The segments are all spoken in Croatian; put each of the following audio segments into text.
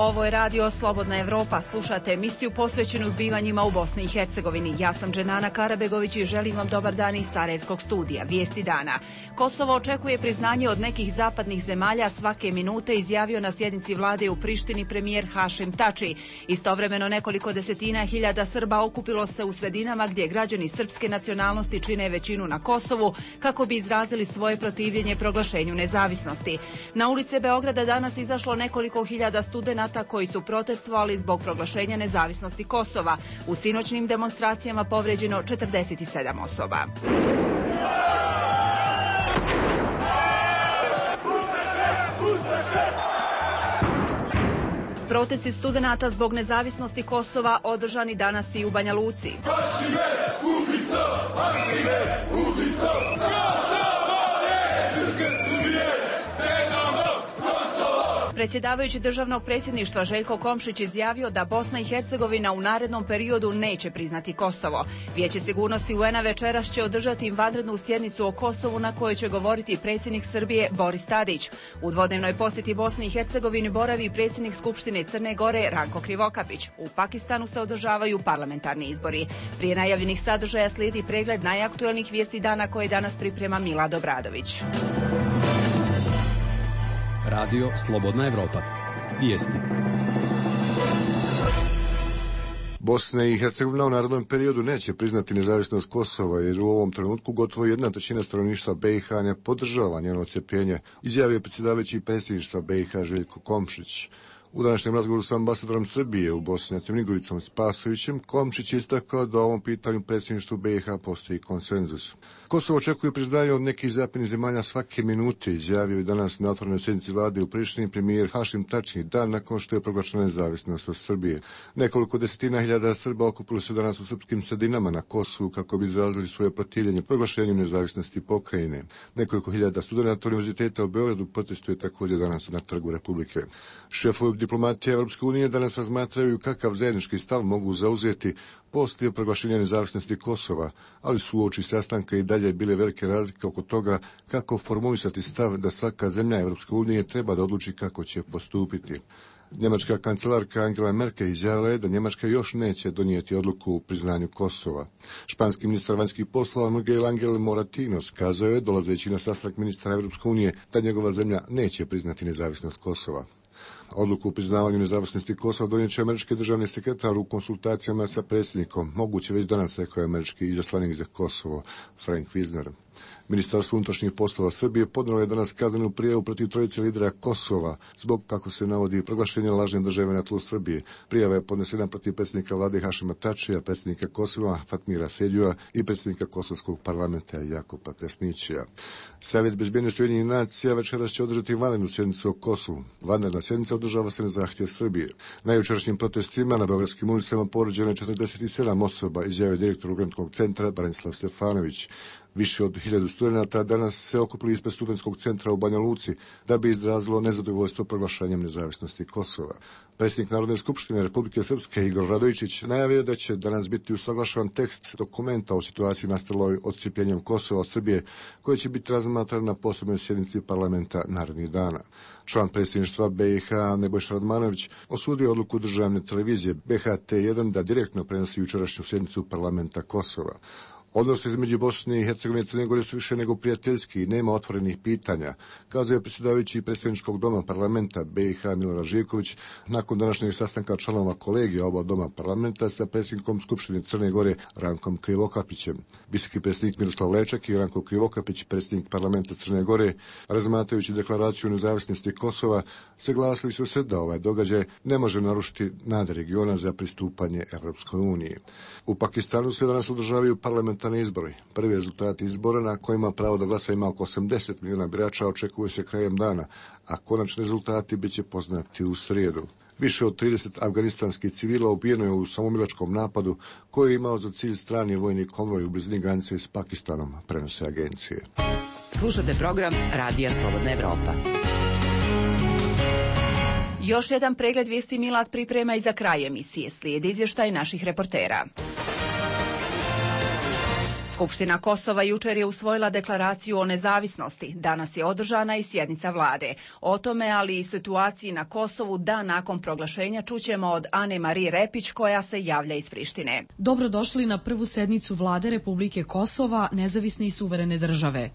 Ovo je radio Slobodna Evropa. Slušate emisiju posvećenu zbivanjima u Bosni i Hercegovini. Ja sam Dženana Karabegović i želim vam dobar dan iz Sarajevskog studija. Vijesti dana. Kosovo očekuje priznanje od nekih zapadnih zemalja svake minute, izjavio na sjednici vlade u Prištini premijer Hašim Tači. Istovremeno nekoliko desetina hiljada Srba okupilo se u sredinama gdje građani srpske nacionalnosti čine većinu na Kosovu kako bi izrazili svoje protivljenje proglašenju nezavisnosti. Na ulice Beograda danas izašlo nekoliko hiljada studenata koji su protestovali zbog proglašenja nezavisnosti Kosova. U sinoćnim demonstracijama povrijeđeno 47 osoba. Protesti studenata zbog nezavisnosti Kosova održani danas i u Banja Luci. Predsjedavajući državnog predsjedništva Željko Komšić izjavio da Bosna i Hercegovina u narednom periodu neće priznati Kosovo. Vijeće sigurnosti UN-a večeras će održati vanrednu sjednicu o Kosovu na kojoj će govoriti predsjednik Srbije Boris Tadić. U dvodnevnoj posjeti Bosni i Hercegovini boravi predsjednik Skupštine Crne Gore Ranko Krivokapić. U Pakistanu se održavaju parlamentarni izbori. Prije najavljenih sadržaja slijedi pregled najaktuelnijih vijesti dana koje danas priprema Milad Obradović. Radio Slobodna Evropa. Vijesti. Bosna i Hercegovina u narednom periodu neće priznati nezavisnost Kosova, jer u ovom trenutku gotovo 1/3 stanovništva BiH ne podržava njeno odcjepljenje, izjavio predsjedavajući predsjedništva BiH Željko Komšić. U današnjem razgovoru sa ambasadorom Srbije u Bosni Hercegovini Igoricom Spasovićem, Komšić je istakao da o ovom pitanju predsjedništvu BiH postoji konsenzus. Kosovo očekuje priznanje od nekih zapadnih zemalja svake minute, izjavio je danas na otvorenoj sjednici vlade u Prištini premijer Hašim Tači, dan nakon što je proglašena nezavisnost od Srbije. Nekoliko desetina hiljada Srba okupilo se danas u srpskim sredinama na Kosovu kako bi izrazili svoje protivljenje proglašenju nezavisnosti pokrajine. Nekoliko hiljada studenata univerziteta u Beogradu protestuje također danas na Trgu Republike. Šefovi diplomatije Europske unije danas razmatraju kakav zajednički stav mogu zauzeti poslije proglašenja nezavisnosti Kosova, ali su uoči sastanka i dalje bile velike razlike oko toga kako formulisati stav da svaka zemlja Europske unije treba da odluči kako će postupiti. Njemačka kancelarka Angela Merkel izjavila je da Njemačka još neće donijeti odluku u priznanju Kosova. Španski ministar vanjskih poslova Miguel Angel Moratinos kazao je, dolazeći na sastanak ministra Europske unije, da njegova zemlja neće priznati nezavisnost Kosova. Odluku o priznavanju nezavisnosti Kosova donijet će američki državni sekretar u konsultacijama sa predsjednikom, moguće već danas, rekao je američki izaslanik za Kosovo Frank Wisner. Ministarstvo unutrašnjih poslova Srbije podnijelo je danas kaznenu prijavu protiv trojice lidera Kosova zbog, kako se navodi, proglašenja lažne države na tlu Srbije. Prijava je podnesena protiv predsjednika vlade Hašima Tačija, predsjednika Kosova Fatmira Sedjua i predsjednika Kosovskog parlamenta Jakoba Kresnićija. Savjet bezbjednosti Ujedinjenih nacija večeras će održati vanrednu sjednicu o Kosovu. Vanredna sjednica održava se na zahtjev Srbije. Na jučerašnjim protestima na beogradskim ulicama povrijeđeno je 47 osoba, izjavio direktor Ugradskog centra Branislav Stefanović. Više od 1000 studenata danas se okupili ispred studentskog centra u Banja Luci da bi izrazilo nezadovoljstvo proglašenjem nezavisnosti Kosova. Predsjednik Narodne skupštine Republike Srpske Igor Radojičić najavio da će danas biti usaglašavan tekst dokumenta o situaciji nastaloj odcijepljenjem Kosova od Srbije, koji će biti razmatran na posebnoj sjednici parlamenta narednih dana. Član predsjedništva BiH Nebojša Radmanović osudio odluku državne televizije BHT1 da direktno prenosi jučerašnju sjednicu parlamenta Kosova. Odnosi između Bosne i Hercegovine i Crne Gore su više nego prijateljski i nema otvorenih pitanja, kazao je predsjedavajući predsjedničkog doma parlamenta BiH Milorad Živković nakon današnjeg sastanka članova kolegija oba doma parlamenta sa predsjednikom Skupštine Crne Gore Rankom Krivokapićem. Visoki predsjednik Miroslav Lečak i Ranko Krivokapić, predsjednik parlamenta Crne Gore, razmatrajući deklaraciju nezavisnosti Kosova, saglasili su se da ovaj događaj ne može narušiti nade regiona za pristupanje Evropskoj uniji. U Pakistanu se danas održavaju parlamentarni izbori. Prvi rezultati izbora na kojima pravo da glasa ima oko 80 milijuna birača očekuju se krajem dana, a konačni rezultati bit će poznati u srijedu. Više od 30 afganistanskih civila ubijeno je u samomilačkom napadu koji je imao za cilj strani vojni konvoj u blizini granice s Pakistanom, prenose agencije. Slušate program Radija Slobodna Evropa. Još jedan pregled vijesti Milad priprema i za kraj emisije. Slijedi izvještaj naših reportera. Skupština Kosova jučer je usvojila deklaraciju o nezavisnosti. Danas je održana i sjednica vlade. O tome, ali i situaciji na Kosovu dan nakon proglašenja čućemo od Ane Marije Repić koja se javlja iz Prištine. Dobrodošli na prvu sednicu vlade Republike Kosova, nezavisne i suverene države.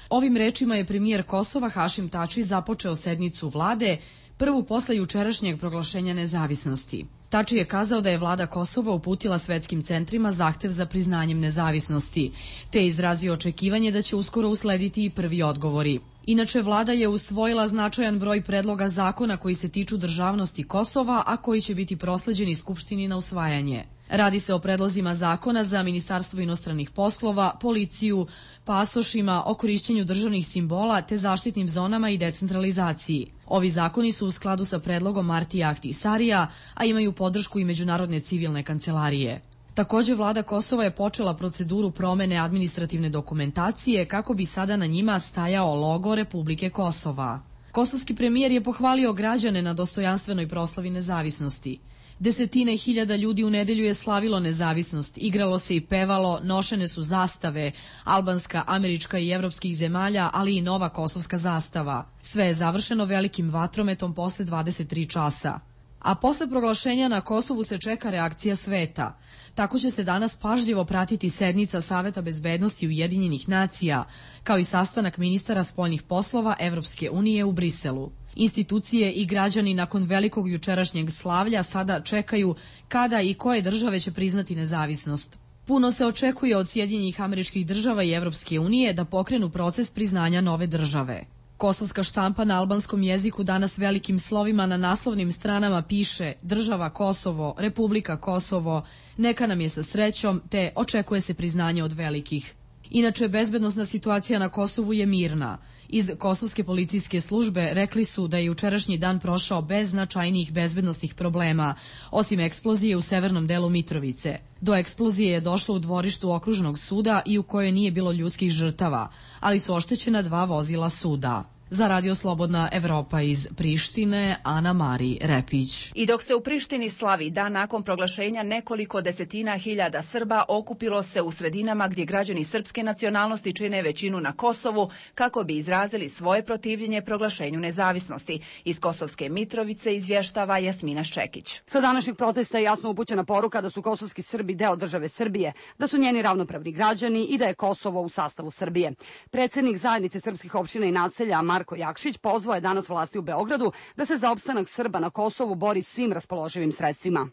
Ovim rečima je premijer Kosova Hašim Tači započeo sednicu vlade, prvu posle jučerašnjeg proglašenja nezavisnosti. Tači je kazao da je vlada Kosova uputila svetskim centrima zahtev za priznanjem nezavisnosti, te je izrazio očekivanje da će uskoro uslediti i prvi odgovori. Inače, vlada je usvojila značajan broj predloga zakona koji se tiču državnosti Kosova, a koji će biti prosleđeni Skupštini na usvajanje. Radi se o predlozima zakona za Ministarstvo inostranih poslova, policiju, pasošima, o korišćenju državnih simbola te zaštitnim zonama i decentralizaciji. Ovi zakoni su u skladu sa predlogom Martija Ahtisarija, a imaju podršku i Međunarodne civilne kancelarije. Takođe, vlada Kosova je počela proceduru promene administrativne dokumentacije kako bi sada na njima stajao logo Republike Kosova. Kosovski premijer je pohvalio građane na dostojanstvenoj proslavi nezavisnosti. Desetine hiljada ljudi u nedelju je slavilo nezavisnost, igralo se i pevalo, nošene su zastave, albanska, američka i evropskih zemalja, ali i nova kosovska zastava. Sve je završeno velikim vatrometom posle 23 časa. A posle proglašenja na Kosovu se čeka reakcija sveta. Tako će se danas pažljivo pratiti sednica Saveta bezbednosti Ujedinjenih nacija, kao i sastanak ministara spoljnih poslova Evropske unije u Briselu. Institucije i građani nakon velikog jučerašnjeg slavlja sada čekaju kada i koje države će priznati nezavisnost. Puno se očekuje od Sjedinjenih Američkih Država i Evropske unije da pokrenu proces priznanja nove države. Kosovska štampa na albanskom jeziku danas velikim slovima na naslovnim stranama piše Država Kosovo, Republika Kosovo, neka nam je sa srećom, te očekuje se priznanje od velikih. Inače, bezbednosna situacija na Kosovu je mirna. Iz Kosovske policijske službe rekli su da je jučerašnji dan prošao bez značajnijih bezbednosnih problema, osim eksplozije u severnom delu Mitrovice. Do eksplozije je došlo u dvorištu okružnog suda i u kojoj nije bilo ljudskih žrtava, ali su oštećena 2 vozila suda. Za Radio Slobodna Evropa iz Prištine, Ana Marija Repić. I dok se u Prištini slavi dan nakon proglašenja, nekoliko desetina hiljada Srba okupilo se u sredinama gdje građani srpske nacionalnosti čine većinu na Kosovu kako bi izrazili svoje protivljenje proglašenju nezavisnosti. Iz Kosovske Mitrovice izvještava Jasmina Ščekić. Sa današnjeg protesta je jasno upućena poruka da su kosovski Srbi deo države Srbije, da su njeni ravnopravni građani i da je Kosovo u sastavu Srbije. Predsednik zajednice srpskih opština i naselja Marko Jakšić pozvao je danas vlasti u Beogradu da se za opstanak Srba na Kosovu bori svim raspoloživim sredstvima.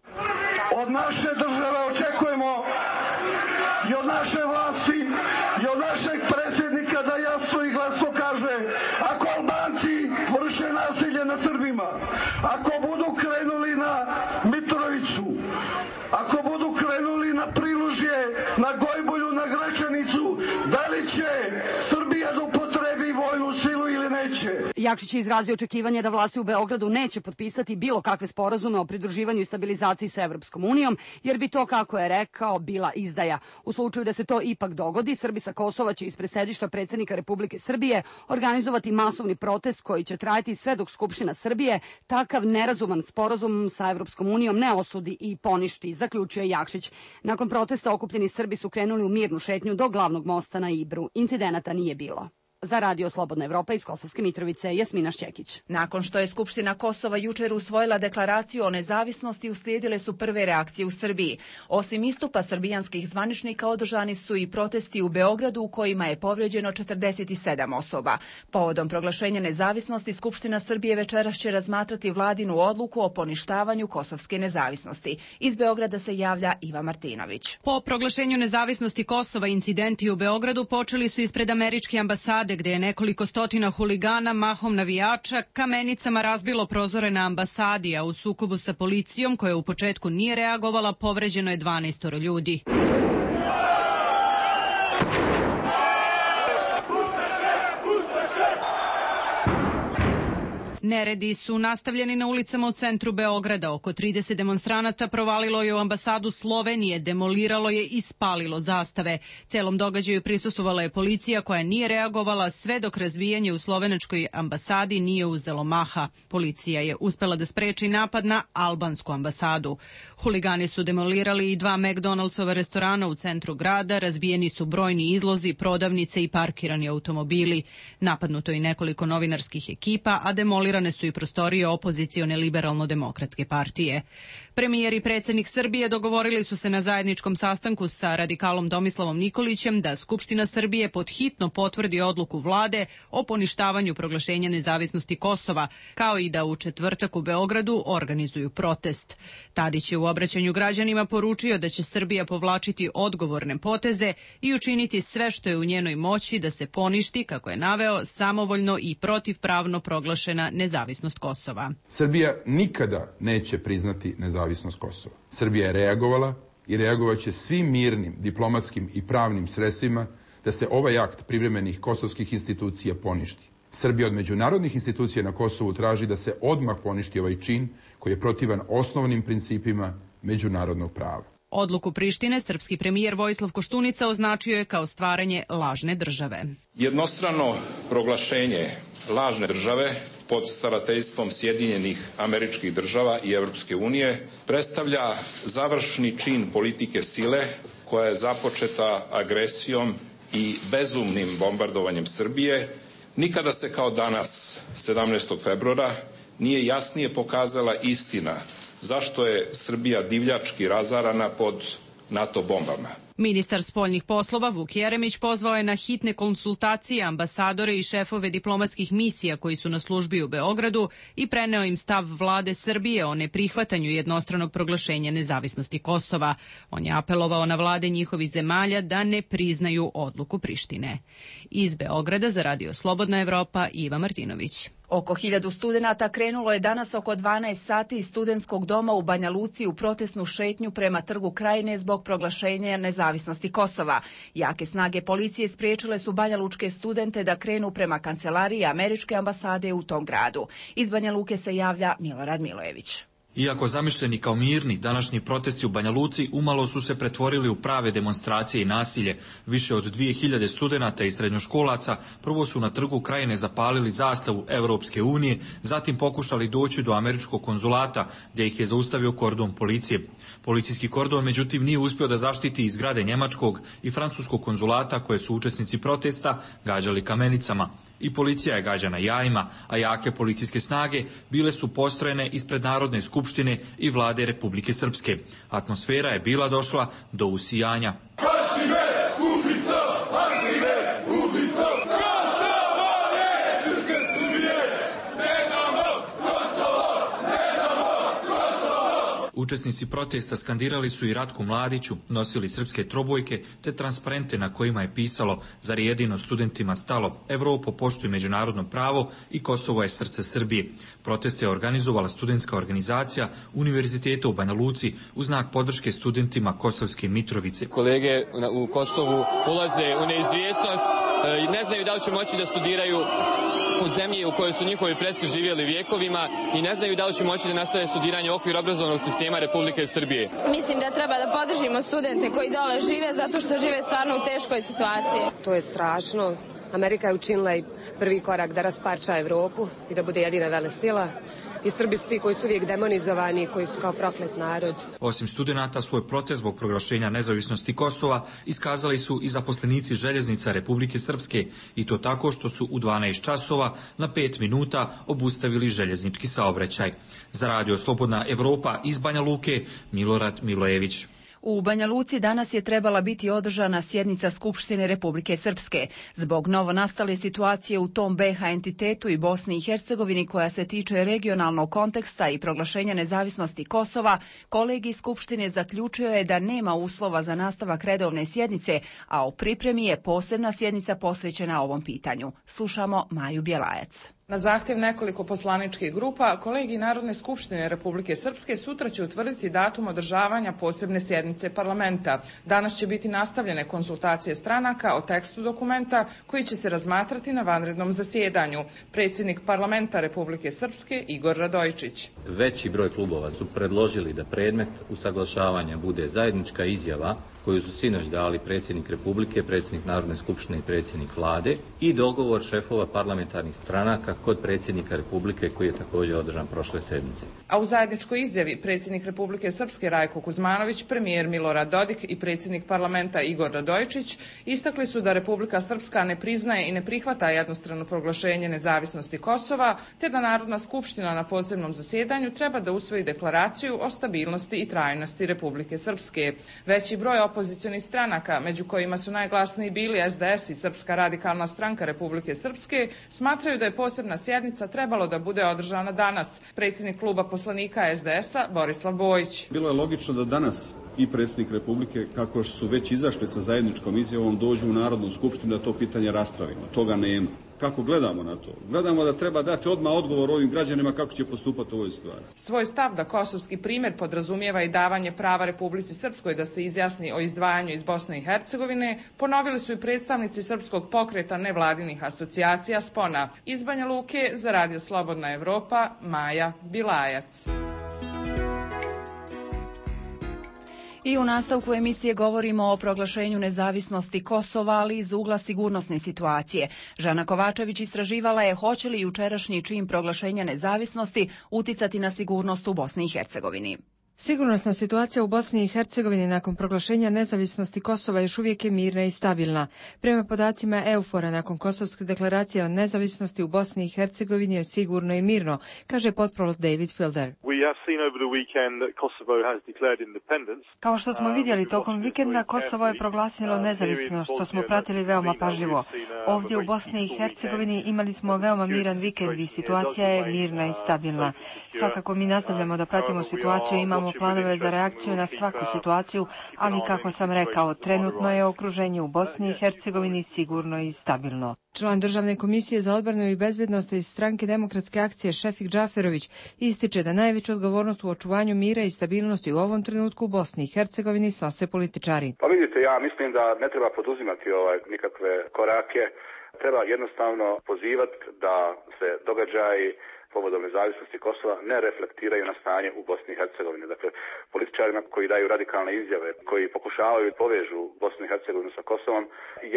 Od naše države očekujemo i od naše vlasti i od našeg predsjednika da jasno i glasno kaže ako Albanci vrše nasilje na Srbima, ako budu krenuli na Mitrovicu, ako budu krenuli na Prilužje, na Gojbulju, na Gračanicu, da li će Srbija da upotrebi vojnu silu ili neće? Jakšić je izrazio očekivanje da vlasti u Beogradu neće potpisati bilo kakve sporazume o pridruživanju i stabilizaciji sa Evropskom unijom, jer bi to, kako je rekao, bila izdaja. U slučaju da se to ipak dogodi, Srbi sa Kosova će ispred sedišta predsjednika Republike Srbije organizovati masovni protest koji će trajati sve dok Skupština Srbije takav nerazuman sporazum sa Evropskom unijom ne osudi i poništi, zaključio je Jakšić. Nakon protesta okupljeni Srbi su krenuli u mirnu šetnju do glavnog mosta na Ibru. Incidenata nije bilo. Za Radio Slobodna Evropa iz Kosovske Mitrovice, Jasmina Ščekić. Nakon što je Skupština Kosova jučer usvojila deklaraciju o nezavisnosti, uslijedile su prve reakcije u Srbiji. Osim istupa srbijanskih zvaničnika, održani su i protesti u Beogradu u kojima je povrijeđeno 47 osoba. Povodom proglašenja nezavisnosti, Skupština Srbije večeras će razmatrati vladinu odluku o poništavanju kosovske nezavisnosti. Iz Beograda se javlja Iva Martinović. Po proglašenju nezavisnosti Kosova incidenti u Beogradu počeli su ispred američke ambasade, gde je nekoliko stotina huligana, mahom navijača, kamenicama razbilo prozore na ambasadi, a u sukobu sa policijom, koja u početku nije reagovala, povređeno je 12 ljudi. Neredi su nastavljeni na ulicama u centru Beograda. Oko 30 demonstranata provalilo je u ambasadu Slovenije, demoliralo je i spalilo zastave. Celom događaju prisustvovala je policija koja nije reagovala sve dok razbijanje u slovenačkoj ambasadi nije uzelo maha. Policija je uspela da spreči napad na albansku ambasadu. Huligani su demolirali i 2 McDonaldsova restorana u centru grada, razbijeni su brojni izlozi, prodavnice i parkirani automobili. Napadnuto je nekoliko novinarskih ekipa, a demolirane su i prostorije opozicione liberalno-demokratske partije. Premijer i predsjednik Srbije dogovorili su se na zajedničkom sastanku sa radikalom Tomislavom Nikolićem da Skupština Srbije podhitno potvrdi odluku vlade o poništavanju proglašenja nezavisnosti Kosova, kao i da u četvrtak u Beogradu organizuju protest. Tadić je u obraćanju građanima poručio da će Srbija povlačiti odgovorne poteze i učiniti sve što je u njenoj moći da se poništi, kako je naveo, samovoljno i protivpravno proglašena nezavisnost Kosova. Srbija nikada neće priznati nezavisnost Kosova. Srbija je reagovala i reagovat će svim mirnim, diplomatskim i pravnim sredstvima da se ovaj akt privremenih kosovskih institucija poništi. Srbija od međunarodnih institucija na Kosovu traži da se odmah poništi ovaj čin koji je protivan osnovnim principima međunarodnog prava. Odluku Prištine srpski premijer Vojislav Koštunica označio je kao stvaranje lažne države. Jednostrano proglašenje lažne države pod starateljstvom Sjedinjenih Američkih Država i Europske unije predstavlja završni čin politike sile koja je započeta agresijom i bezumnim bombardovanjem Srbije. Nikada se kao danas, 17. februara, nije jasnije pokazala istina zašto je Srbija divljački razarana pod NATO bombama. Ministar spoljnih poslova Vuk Jeremić pozvao je na hitne konsultacije ambasadore i šefove diplomatskih misija koji su na službi u Beogradu i preneo im stav vlade Srbije o neprihvatanju jednostranog proglašenja nezavisnosti Kosova. On je apelovao na vlade njihovih zemalja da ne priznaju odluku Prištine. Iz Beograda za Radio Slobodna Evropa, Iva Martinović. Oko 1000 studenata krenulo je danas oko 12 sati iz studentskog doma u Banja Luci u protestnu šetnju prema Trgu Krajine zbog proglašenja nezavisnosti Kosova. Jake snage policije spriječile su banjalučke studente da krenu prema kancelariji američke ambasade u tom gradu. Iz Banja Luke se javlja Milorad Milojević. Iako zamišljeni kao mirni, današnji protesti u Banja Luci umalo su se pretvorili u prave demonstracije i nasilje. Više od 2000 studenata i srednjoškolaca prvo su na Trgu Krajine zapalili zastavu Evropske unije, zatim pokušali doći do američkog konzulata, gdje ih je zaustavio kordon policije. Policijski kordon, međutim, nije uspio da zaštiti iz zgrade njemačkog i francuskog konzulata koje su učesnici protesta gađali kamenicama. I policija je gađana jajima, a jake policijske snage bile su postrojene ispred Narodne skupštine i vlade Republike Srpske. Atmosfera je bila došla do usijanja. Učesnici protesta skandirali su i Ratku Mladiću, nosili srpske trobojke te transparente na kojima je pisalo: zar je jedino studentima stalo, Evropo poštuje međunarodno pravo i Kosovo je srce Srbije. Proteste je organizovala studentska organizacija Univerziteta u Banja Luci u znak podrške studentima Kosovske Mitrovice. Kolege u Kosovu ulaze u neizvjesnost, ne znaju da li će moći da studiraju u zemlji u kojoj su njihovi preci živjeli vjekovima i ne znaju da li će moći da nastave studiranje u okviru obrazovnog sistema Republike Srbije. Mislim da treba da podržimo studente koji dole žive zato što žive stvarno u teškoj situaciji. To je strašno. Amerika je učinila i prvi korak da rasparča Evropu i da bude jedina velesila. I Srbi su ti koji su uvijek demonizovani, koji su kao proklet narod. Osim studenata, svoj protest zbog proglašenja nezavisnosti Kosova iskazali su i zaposlenici željeznica Republike Srpske, i to tako što su u 12 časova na 5 minuta obustavili željeznički saobraćaj. Za Radio Slobodna Evropa iz Banja Luke, Milorad Milojević. U Banja Luci danas je trebala biti održana sjednica Skupštine Republike Srpske. Zbog novonastale situacije u tom BiH entitetu i Bosni i Hercegovini koja se tiče regionalnog konteksta i proglašenja nezavisnosti Kosova, kolegij Skupštine zaključio je da nema uslova za nastavak redovne sjednice, a u pripremi je posebna sjednica posvećena ovom pitanju. Slušamo Maju Bjelajac. Na zahtjev nekoliko poslaničkih grupa, kolegij Narodne skupštine Republike Srpske sutra će utvrditi datum održavanja posebne sjednice parlamenta. Danas će biti nastavljene konsultacije stranaka o tekstu dokumenta koji će se razmatrati na vanrednom zasjedanju. Predsjednik parlamenta Republike Srpske Igor Radojičić. Veći broj klubova su predložili da predmet usaglašavanja bude zajednička izjava koju su sinoć dali predsjednik Republike, predsjednik Narodne skupštine i predsjednik Vlade i dogovor šefova parlamentarnih stranaka kod predsjednika Republike koji je također održan prošle sedmice. A u zajedničkoj izjavi predsjednik Republike Srpske Rajko Kuzmanović, premijer Milorad Dodik i predsjednik parlamenta Igor Radojičić istakli su da Republika Srpska ne priznaje i ne prihvata jednostrano proglašenje nezavisnosti Kosova, te da Narodna skupština na posebnom zasjedanju treba da usvoji deklaraciju o stabilnosti i trajnosti Republike Srpske. Veći broj opozicionih stranaka, među kojima su najglasniji bili SDS i Srpska radikalna stranka Republike Srpske, smatraju da je posebna sjednica trebalo da bude održana danas. Predsjednik kluba poslanika SDS-a Borislav Bojić. Bilo je logično da danas i predsjednik Republike, kako su već izašli sa zajedničkom izjavom, dođu u Narodnu skupštinu da to pitanje raspravimo. Toga nema. Kako gledamo na to? Gledamo da treba dati odmah odgovor ovim građanima kako će postupati u ovoj situaciji. Svoj stav da kosovski primjer podrazumijeva i davanje prava Republici Srpskoj da se izjasni o izdvajanju iz Bosne i Hercegovine ponovili su i predstavnici Srpskog pokreta nevladinih asocijacija SPONA. Iz Banja Luke za Radio Slobodna Evropa, Maja Bilajac. I u nastavku emisije govorimo o proglašenju nezavisnosti Kosova, ali iz ugla sigurnosne situacije. Žana Kovačević istraživala je hoće li jučerašnji čin proglašenja nezavisnosti uticati na sigurnost u Bosni i Hercegovini. Sigurnosna situacija u Bosni i Hercegovini nakon proglašenja nezavisnosti Kosova još uvijek je mirna i stabilna. Prema podacima EUFOR-a, nakon Kosovske deklaracije o nezavisnosti u Bosni i Hercegovini je sigurno i mirno, kaže potprolog David Fielder. Kao što smo vidjeli tokom vikenda, Kosovo je proglasilo nezavisnost, što smo pratili veoma pažljivo. Ovdje u Bosni i Hercegovini imali smo veoma miran vikend i situacija je mirna i stabilna. Svakako mi nastavljamo da pratimo situaciju, imamo planove za reakciju na svaku situaciju, ali kako sam rekao, trenutno je okruženje u Bosni i Hercegovini sigurno i stabilno. Član Državne komisije za odbranu i bezbjednost iz stranke Demokratske akcije Šefik Džaferović ističe da najveću odgovornost u očuvanju mira i stabilnosti u ovom trenutku u Bosni i Hercegovini snose političari. Pa vidite, ja mislim da ne treba poduzimati nikakve korake, treba jednostavno pozivati da se događaji povodom nezavisnosti Kosova ne reflektiraju na stanje u Bosni i Hercegovini. Dakle, političarima koji daju radikalne izjave, koji pokušavaju povežu Bosnu i Hercegovinu sa Kosovom,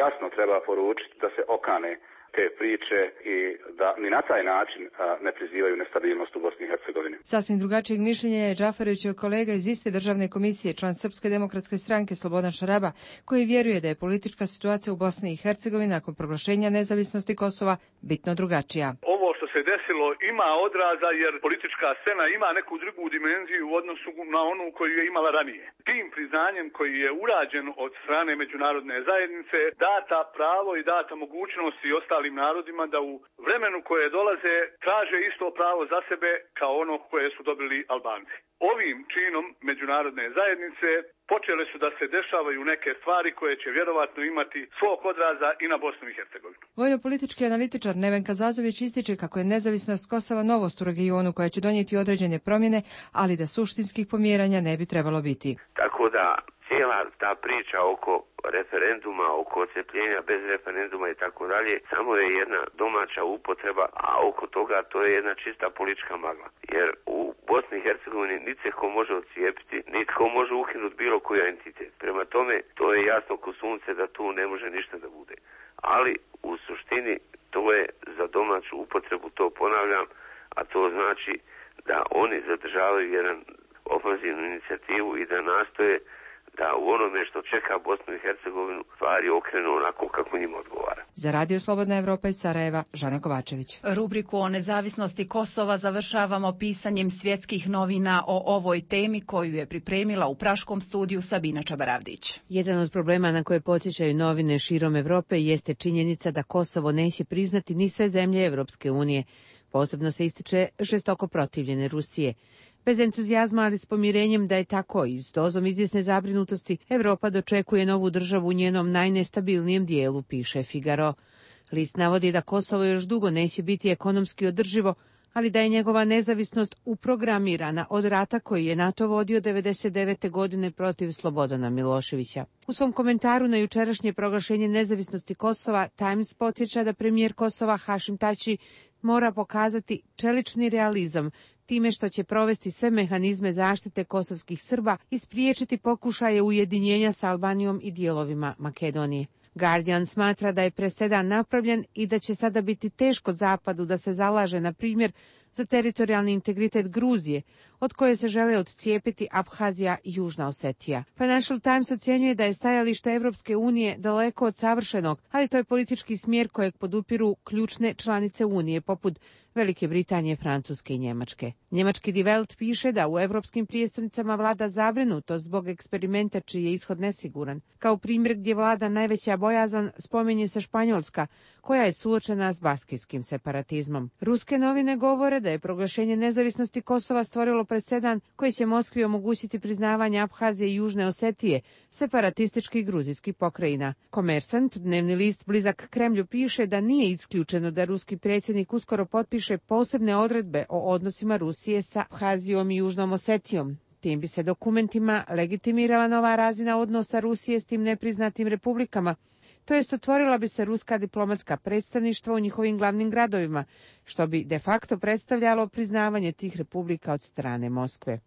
jasno treba poručiti da se okane te priče i da ni na taj način ne prizivaju nestabilnost u Bosni i Hercegovini. Sasvim drugačijeg mišljenja je Džaferovićev kolega iz iste državne komisije, član Srpske demokratske stranke Slobodan Šaraba, koji vjeruje da je politička situacija u Bosni i Hercegovini nakon proglašenja nezavisnosti Kosova bitno drugačija. Što se desilo ima odraza jer politička scena ima neku drugu dimenziju u odnosu na onu koju je imala ranije. Tim priznanjem koji je urađen od strane međunarodne zajednice data pravo i data mogućnost i ostalim narodima da u vremenu koje dolaze traže isto pravo za sebe kao ono koje su dobili Albanci. Ovim činom međunarodne zajednice počele su da se dešavaju neke stvari koje će vjerovatno imati svog odraza i na Bosnu i Hercegovinu. Vojno-politički analitičar Nevenka Zazović ističe kako je nezavisnost Kosova novost u regionu koja će donijeti određene promjene, ali da suštinskih pomjeranja ne bi trebalo biti. Tako da cijela ta priča oko referenduma, oko odcepljenja bez referenduma i tako dalje, samo je jedna domaća upotreba, a oko toga to je jedna čista politička magla. Jer u Bosni i Hercegovini niti se ko može odcijepiti, niti ko može ukinuti bilo koji entitet. Prema tome, to je jasno ko sunce da tu ne može ništa da bude. Ali u suštini to je za domaću upotrebu, to ponavljam, a to znači da oni zadržavaju jedan ofanzivnu inicijativu i da nastoje da u onome što čeka Bosnu i Hercegovinu stvari okrenu onako kako njima odgovara. Za Radio Slobodna Evropa iz Sarajeva, Žana Kovačević. Rubriku o nezavisnosti Kosova završavamo pisanjem svjetskih novina o ovoj temi koju je pripremila u praškom studiju Sabina Čabaravdić. Jedan od problema na koje podsjećaju novine širom Evrope jeste činjenica da Kosovo neće priznati ni sve zemlje Evropske unije. Posebno se ističe žestoko protivljene Rusije. Bez entuzijazma, ali s pomirenjem da je tako i s dozom izvjesne zabrinutosti, Evropa dočekuje novu državu u njenom najnestabilnijem dijelu, piše Figaro. List navodi da Kosovo još dugo neće biti ekonomski održivo, ali da je njegova nezavisnost uprogramirana od rata koji je NATO vodio 1999. godine protiv Slobodana Miloševića. U svom komentaru na jučerašnje proglašenje nezavisnosti Kosova, Times podsjeća da premijer Kosova Hašim Tači mora pokazati čelični realizam time što će provesti sve mehanizme zaštite kosovskih Srba i spriječiti pokušaje ujedinjenja sa Albanijom i dijelovima Makedonije. Guardian smatra da je presedan napravljen i da će sada biti teško Zapadu da se zalaže, na primjer, za teritorijalni integritet Gruzije, od koje se žele odcijepiti Abhazija i Južna Osetija. Financial Times ocjenjuje da je stajalište Evropske unije daleko od savršenog, ali to je politički smjer kojeg podupiru ključne članice Unije, poput Velike Britanije, Francuske i Njemačke. Njemački Die Welt piše da u evropskim prijestolnicama vlada zabrinutost zbog eksperimenta čiji je ishod nesiguran. Kao primjer gdje vlada najveća bojazan spominje se Španjolska, koja je suočena s baskijskim separatizmom. Ruske novine govore da je proglašenje nezavisnosti Kosova stvorilo presedan koji će Moskvi omogućiti priznavanje Abhazije i Južne Osetije, separatističkih gruzijskih pokrajina. Komersant, dnevni list blizak Kremlju, piše da nije isključeno da ruski predsjednik uskoro potpiše posebne odredbe o odnosima Rusije sa Abhazijom i Južnom Osetijom. Tim bi se dokumentima legitimirala nova razina odnosa Rusije s tim nepriznatim republikama, to jest otvorila bi se ruska diplomatska predstavništva u njihovim glavnim gradovima, što bi de facto predstavljalo priznavanje tih republika od strane Moskve.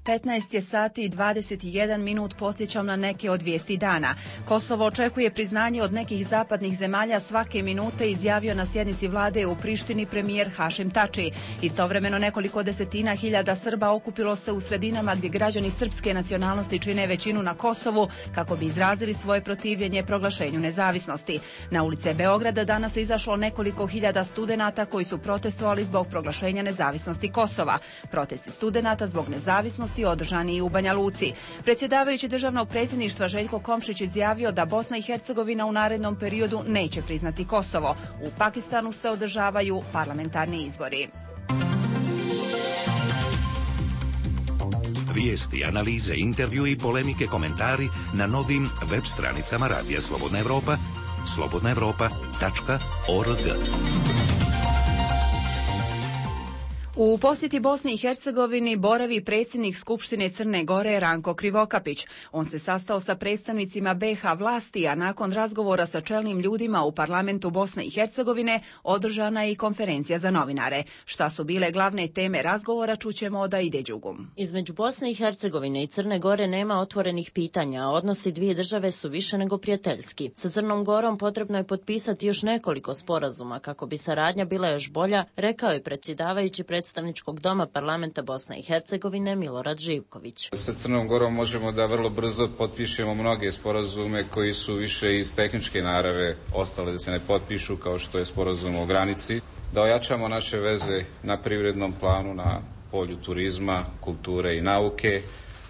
15 je sati i 21 minut, podsjećam na neke od vijesti dana. Kosovo očekuje priznanje od nekih zapadnih zemalja svake minute, izjavio na sjednici vlade u Prištini premijer Hašim Tači. Istovremeno nekoliko desetina hiljada Srba okupilo se u sredinama gdje građani srpske nacionalnosti čine većinu na Kosovu kako bi izrazili svoje protivljenje proglašenju nezavisnosti. Na ulice Beograda danas je izašlo nekoliko hiljada studenata koji su protestovali zbog proglašenja nezavisnosti Kosova. Protesti studenata zbog nezavisnosti održani i u Banja Luci. Predsjedavajući državnog predsjedništva Željko Komšić izjavio da Bosna i Hercegovina u narednom periodu neće priznati Kosovo. U Pakistanu se održavaju parlamentarni izbori. Vijesti, analize, intervju i polemike, komentari na novim web stranicama Radija Slobodna Evropa, slobodnaevropa.org. U posjeti Bosni i Hercegovini boravi predsjednik Skupštine Crne Gore Ranko Krivokapić. On se sastao sa predstavnicima BiH vlasti, a nakon razgovora sa čelnim ljudima u parlamentu Bosne i Hercegovine održana je i konferencija za novinare. Šta su bile glavne teme razgovora, čućemo od Aide Đugum. Između Bosne i Hercegovine i Crne Gore nema otvorenih pitanja, a odnosi dvije države su više nego prijateljski. Sa Crnom Gorom potrebno je potpisati još nekoliko sporazuma kako bi saradnja bila još bolja, rekao je predsjedavajući predstavničkog doma parlamenta Bosne i Hercegovine Milorad Živković. Sa Crnom Gorom možemo da vrlo brzo potpišemo mnoge sporazume koji su više iz tehničke narave ostale da se ne potpišu, kao što je sporazum o granici, da ojačamo naše veze na privrednom planu, na polju turizma, kulture i nauke,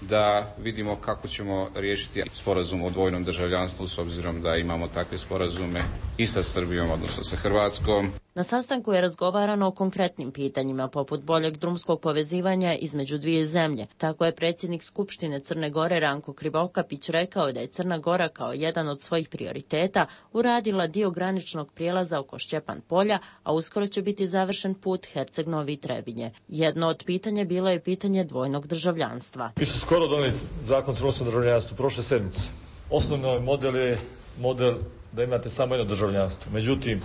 da vidimo kako ćemo riješiti sporazum o dvojnom državljanstvu s obzirom da imamo takve sporazume i sa Srbijom, odnosno sa Hrvatskom. Na sastanku je razgovarano o konkretnim pitanjima poput boljeg drumskog povezivanja između dvije zemlje. Tako je predsjednik Skupštine Crne Gore Ranko Krivokapić rekao da je Crna Gora kao jedan od svojih prioriteta uradila dio graničnog prijelaza oko Šćepan polja, a uskoro će biti završen put Herceg-Novi Trebinje. Jedno od pitanja bilo je pitanje dvojnog državljanstva. Mi su skoro donijeli zakon o crnogorskom državljanstvu prošle sedmice. Osnovni model je model da imate samo jedno državljanstvo. Međutim,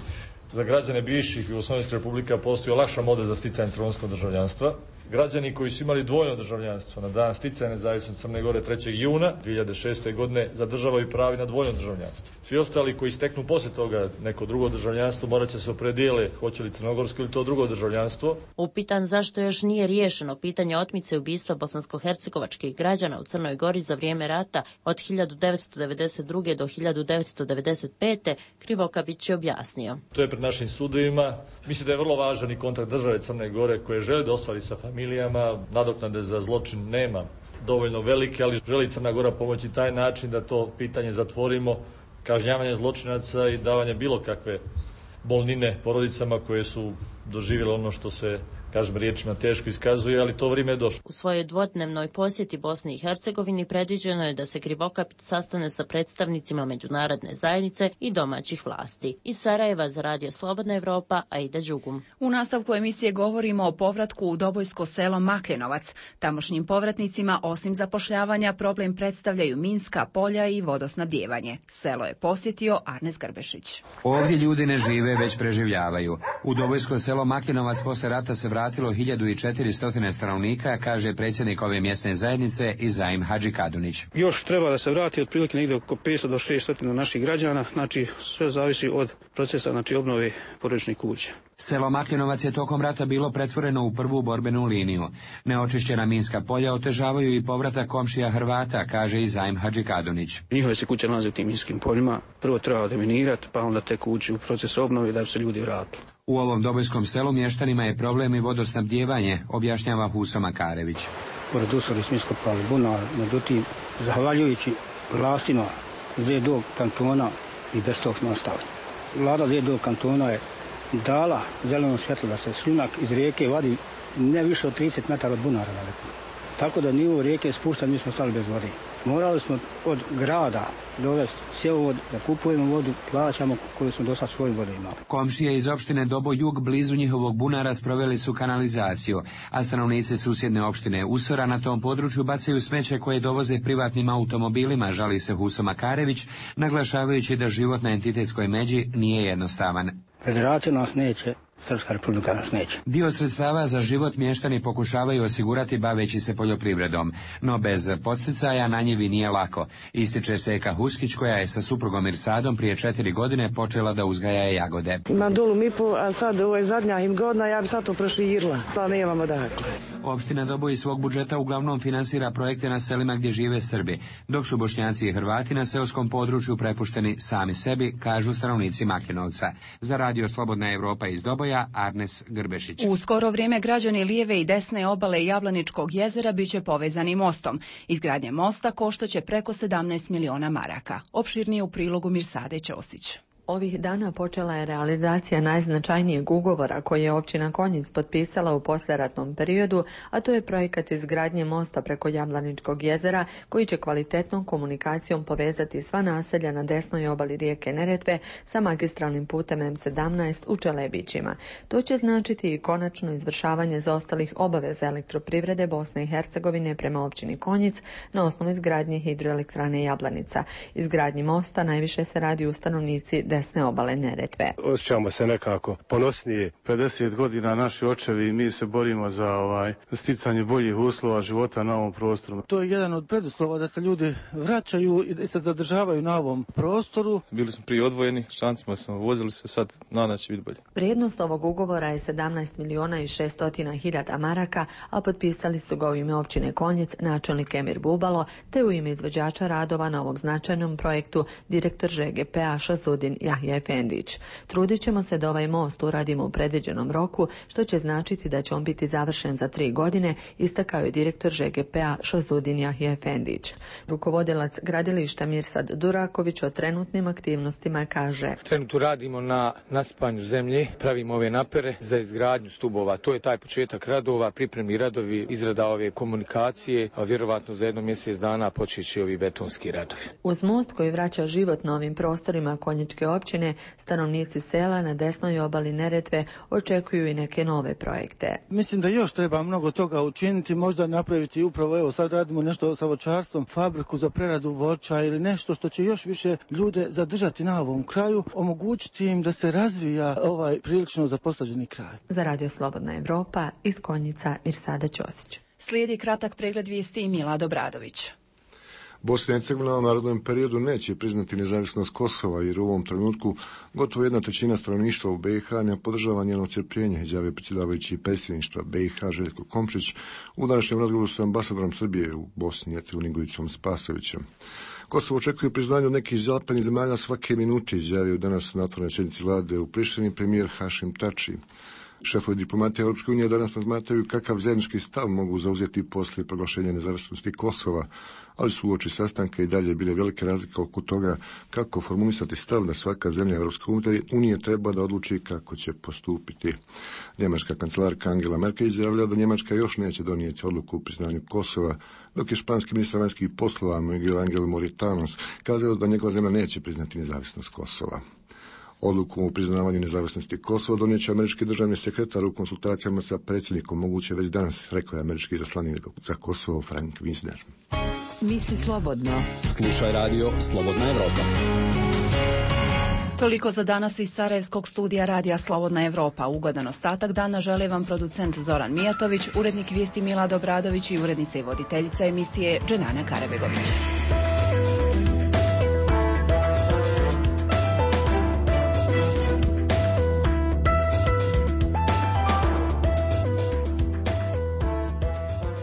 za građane bivših jugoslovenskih republika postoji olakšan model za sticanje crnogorskog državljanstva. Građani koji su imali dvojno državljanstvo na dan sticanja nezavisnosti Crne Gore 3. juna 2006. godine zadržavaju pravo na dvojno državljanstvo. Svi ostali koji steknu poslije toga neko drugo državljanstvo morat će se opredijele hoće li crnogorsko ili to drugo državljanstvo. Upitan zašto još nije riješeno pitanje otmice ubistva bosansko-hercegovačkih građana u Crnoj Gori za vrijeme rata od 1992. do 1995. Krivokapić je objasnio. To je pred našim sudovima. Mislim da je vrlo važan i kontakt države Crne Gore koje žele da ostvari sa familijama. Nadoknade za zločin nema dovoljno velike, ali želi Crna Gora pomoći taj način da to pitanje zatvorimo, kažnjavanje zločinaca i davanje bilo kakve bolnine porodicama koje su doživjelo ono što se, kažem riječima, teško iskazuje, ali to vrijeme je došlo. U svojoj dvodnevnoj posjeti Bosni i Hercegovini predviđeno je da se Krivokapić sastane sa predstavnicima međunarodne zajednice i domaćih vlasti. Iz Sarajeva za Radio Slobodna Evropa, Aida Đugum. U nastavku emisije govorimo o povratku u Dobojsko selo Makljenovac. Tamošnjim povratnicima osim zapošljavanja problem predstavljaju minska polja i vodosnabdijevanje. Selo je posjetio Arnes Grbešić. Ovdje ljudi ne žive, već preživljavaju. U Dobojsko selo Makljenovac posle rata se vratilo 1400 stanovnika, kaže predsjednik ove mjesne zajednice Izaim Hadži Kadunić. Još treba da se vrati otprilike negdje oko 500 do 600 naših građana, znači sve zavisi od procesa, znači obnove porodičnih kuća. Selo Makljenovac je tokom rata bilo pretvoreno u prvu borbenu liniju. Neočišćena minska polja otežavaju i povratak komšija Hrvata, kaže Izaim Hadži Kadunić. Njihove se kuće nalaze u tim minskim poljima, prvo treba deminirati, pa onda tek ući u proces obnove da bi se ljudi vratili. U ovom dobojskom selu mještanima je problem i vodosnabdijevanje, objašnjava Huso Makarević. Pored usoli smo iskopali bunar, međutim, zahvaljujući vlastima ZDO kantona i bez tog smo ostali. Vlada ZDO kantona je dala zeleno svjetlo da se šljunak iz rijeke vadi ne više od 30 metara od bunara daleko. Tako da nivo rijeke spušta, mi smo stali bez vode. Morali smo od grada dovesti cjevovod, da kupujemo vodu, plaćamo koju smo do sad svoju vodu imali. Komšije iz opštine Dobo Jug blizu njihovog bunara sproveli su kanalizaciju, a stanovnici susjedne opštine Usora na tom području bacaju smeće koje dovoze privatnim automobilima, žali se Huso Makarević, naglašavajući da život na entitetskoj međi nije jednostavan. Federacija nas neće, Srpska republika nas neće. Dio sredstava za život mještani pokušavaju osigurati baveći se poljoprivredom, no bez podsticaja na njivi nije lako. Ističe Seka Huskić koja je sa suprugom Irsadom prije 4 godine počela da uzgaja jagode. Ima dolu mipu, a sad ovo je zadnja im godina, ja bi sad to proširila, pa nemamo dakle. Opština Dobo iz svog budžeta uglavnom finansira projekte na selima gdje žive Srbi, dok su Bošnjaci i Hrvati na seoskom području prepušteni sami sebi, kažu stanovnici Makljenovca. Za Radio Slobodna Evropa iz Doboja, Arnes Grbešić. U skoro vrijeme građani lijeve i desne obale Jablaničkog jezera biće povezani mostom. Izgradnja mosta koštaće preko 17 miliona maraka. Opširnije u prilogu Mirsade Ćosić. Ovih dana počela je realizacija najznačajnijeg ugovora koji je općina Konjic potpisala u poslijeratnom periodu, a to je projekat izgradnje mosta preko Jablaničkog jezera koji će kvalitetnom komunikacijom povezati sva naselja na desnoj obali rijeke Neretve sa magistralnim putem M17 u Čelebićima. To će značiti i konačno izvršavanje zaostalih obaveza elektroprivrede Bosne i Hercegovine prema općini Konjic na osnovu izgradnje hidroelektrane Jablanica. Izgradnji mosta najviše se radi u stanovnici desne obale Neretve. Osjećamo se nekako ponosnije. 50 godina naši očevi i mi se borimo za sticanje boljih uslova života na ovom prostoru. To je jedan od preduslova da se ljudi vraćaju i da se zadržavaju na ovom prostoru. Bili smo prije odvojeni, šancima smo vozili se, sad nadam će biti bolje. Vrijednost ovog ugovora je 17 miliona i 600 hiljada maraka, a potpisali su ga u ime općine Konjic načelnik Emir Bubalo, te u ime izvođača radova na ovom značajnom projektu direktor ŽGP-a Šazudin Jahja Efendić. Trudit ćemo se da ovaj most uradimo u predviđenom roku, što će značiti da će on biti završen za 3 godine, istakao je direktor ŽGP-a Šazudin Jahja Efendić. Rukovodilac gradilišta Mirsad Duraković o trenutnim aktivnostima kaže: Trenutno radimo na nasipanju zemlje, pravimo ove napere za izgradnju stubova. To je taj početak radova, pripremni radovi, izrada ove komunikacije, a vjerovatno za 1 mjesec dana počeće ovi betonski radovi. Uz most koji vraća život na ovim prostorima Konjičke općine, stanovnici sela na desnoj obali Neretve očekuju i neke nove projekte. Mislim da još treba mnogo toga učiniti, možda napraviti upravo, evo sad radimo nešto sa voćarstvom, fabriku za preradu voća ili nešto što će još više ljude zadržati na ovom kraju, omogućiti im da se razvija ovaj prilično zapostavljeni kraj. Za Radio Slobodna Evropa iz Konjica Mirsada Ćosić. Slijedi kratak pregled vijesti i Milad Obradović. Bosna i Hercegovina u narednom periodu neće priznati nezavisnost Kosova jer u ovom trenutku gotovo 1/3 stanovništva u BiH ne podržava njeno odcjepljenje, izjavio predsjedavajući predsjedništva BiH Željko Komšić u današnjem razgovoru sa ambasadorom Srbije u Bosni i Hercegovini Gojicom Spasovićem. Kosovo očekuje priznanje od nekih zapadnih zemalja svake minute, izjavio danas na otvorenoj sjednici vlade u Prištini premijer Hašim Tači. Šefovi diplomatije Europske unije danas razmatraju kakav zajednički stav mogu zauzeti poslije proglašenja nezavisnosti Kosova, ali su uoči sastanka i dalje bile velike razlike oko toga kako formulisati stav da svaka zemlja Europske unije treba da odluči kako će postupiti. Njemačka kancelarka Angela Merkel izjavila da Njemačka još neće donijeti odluku o priznanju Kosova, dok je španski ministar vanjskih poslova Miguel Angel Moritanos kazao da njegova zemlja neće priznati nezavisnost Kosova. Odluku o priznavanju nezavisnosti Kosova donijet će američki državni sekretar u konsultacijama sa predsjednikom, moguće već danas, rekao je američki izaslanik za Kosovo Frank Wisner. Misli slobodno. Slušaj radio Slobodna Evropa. Toliko za danas iz Sarajevskog studija radija Slobodna Evropa. Ugodan ostatak dana žele vam producent Zoran Mijatović, urednik vijesti Milad Obradović i urednica i voditeljica emisije Dženana Karabegović.